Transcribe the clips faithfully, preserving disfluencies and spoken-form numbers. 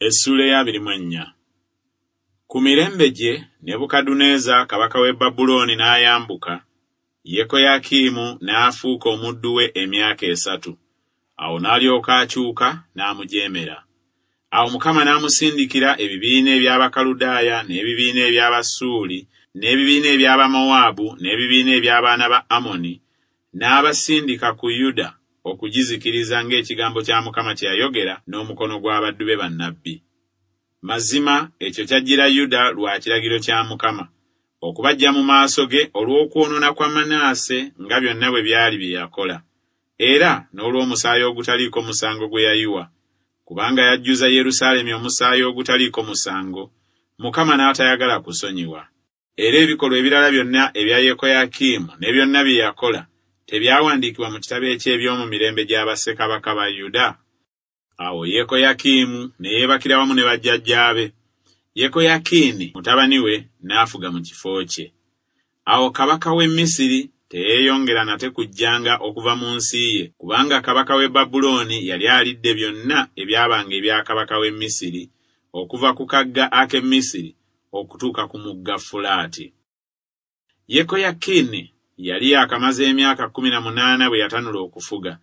Essuula ey'abiri mu ennya. Ku mirembe gye Nebukadduneeza kabaka w'e Babulooni n'ayambuka, Yekoyakimu n'afuuka omuddu we emyaka esatu. Awo n'alyoka akyuka n'amujeemera. Awo Mukama n'amusindikira ebibiina eby'Abakaludaaya n'ebibiina eby'Abasuuli n'ebibiina eby'Abamowaabu n'ebibiina eby'abaana ba Amoni, n'abasindika ku Yuda okugizikiriza ng'ekigambo kya Mukama kye yayogera n'omukono gw'abaddu be bannabbi. Mazima ekyo kyajjira Yuda lwa kiragiro kya Mukama, okubaggya mu maaso ge olw'okwonoona kwa Manaase nga byonna bwe byali bye yakola, era n'olw'omusaayi ogutaliiko musango gwe yayiwa, kubanga yajjuza Yerusaalemi omusaayi ogutaliiko musango, Mukama n'atayagala kusonyiwa. Era ebikolwa ebirala byonna ebya Yekoyakimu ne byonna bye yakola tebyawandiikibwa mu kitabo eky'eby'omu mirembe gya bassekabaka ba Yuda? Awo Yekoyakimu ne yeebakira wamu ne bajjajjaabe. Yekoyakini mutabani we n'afuga mu kifo kye. Awo kabaka w'e Misiri teyeeyongera nate kujjanga okuva mu nsi ye, kubanga kabaka w'e Babulooni yali alidde byonna ebyabanga ebya kabaka w'e Misiri, okuva ku kagga ak'e Misiri okutuuka ku mugga Fulaati. Yekoyakini yali yaakamaze emyaka kkumi na munaana bwe yatanula okufuga,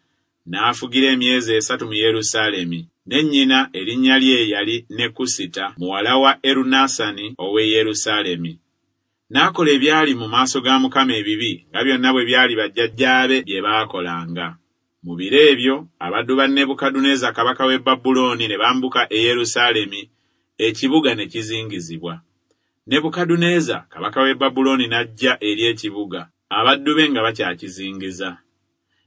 n'afugira emyezi esatu mu Yerusaalemi. Ne nnyina erinnya lye yali Nekusita muwala wa Erunasani ow'e Yerusaalemi. N'akola ebyali mu maaso ga Mukama ebibi nga byonna bwe byali bajjajjaabe bye baakolanga. Mu biro ebyo abaddu ba Nebukadduneeza kabaka w'e Babulooni ne bambuka e Yerusaalemi, ekibuga ne kizingizibwa. Nebukadduneeza kabaka w'e Babulooni n'ajja eri ekibuga, abaddu be nga bakyakizingiza.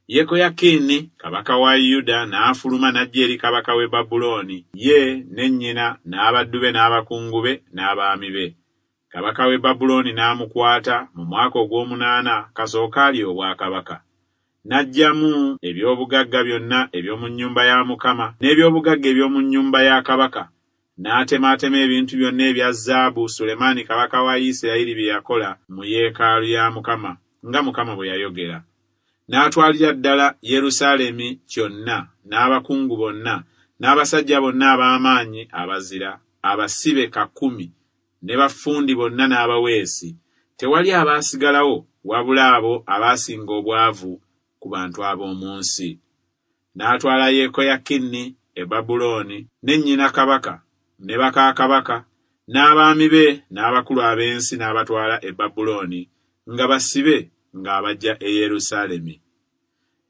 Yekoyakini kabaka wa Yuda n'afuluma n'ajja eri kabaka w'e Babulooni, ye ne nnyina n'abaddu be n'abakungu be n'abaami be. Kabaka w'e Babulooni n'amukwata mu mwaka ogw'omunaana kasooka alye obwakabaka. N'aggyamu eby'obugagga byonna eby'omu nnyumba ya Mukama n'eby'obugagga eby'omu nnyumba ya kabaka, n'atemaatema ebintu byonna ebya zaabu Sulemaani kabaka wa Isirayiri bye yakola mu yeekaalu ya Mukama, nga Mukama bwe yayogera. N'atwalira ddala Yerusaalemi kyonna n'abakungu bonna n'abasajja bonna ab'amaanyi abazira, abasibe kakumi, ne baffundi bonna n'abaweesi. Tewali abaasigalawo wabula abo abaasinga obwavu ku bantu ab'omu nsi. N'atwala Yekoyakini e Babulooni ne nnyina kabaka ne baka kabaka n'abaami be n'abakulu ab'ensi n'abatwala e Babulooni nga basibe ng'abajja e Yerusaalemi.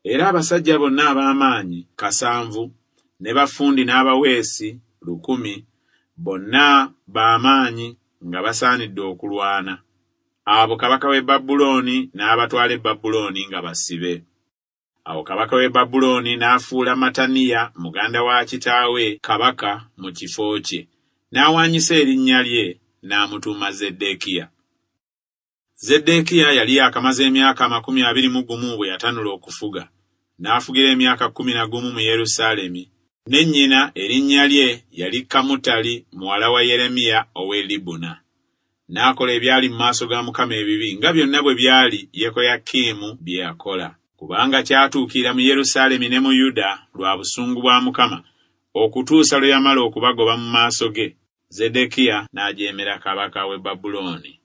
Era abasajja bonna ab'amaanyi kasanvu ne baffundi n'abaweesi lukumi, bonna b'amaanyi nga basaanidde okulwana. Abo kabaka w'e Babulooni n'abatwala e Babulooni nga basibe. Awo kabaka w'e Babulooni n'afuula Mataniya muganda wa kitaawe kabaka mu kifo kye, n'awaanyisa erinnya lye n'amutuuma Zeddekiya. Zeddekiya yali yaakamaze emyaka amakumi abiri mu gumu bwe yatanula okufuga, n'afugira emyaka kkumi na gumu mu Yerusaalemi. Ne nnyina erinnya lye yali Kamutali muwala wa Yeremiya ow'e Libuna. N'akola ebyali mu maaso ga Mukama ebibi nga byonna bwe byali Yekoyakimu bye yakola. Kubanga kyatuukira mu Yerusaalemi ne mu Yuda lwa busungu bwa Mukama, okutuusa lwe yamala okubagoba mu maaso ge. Zeddekiya n'ajeemera kabaka w'e Babulooni.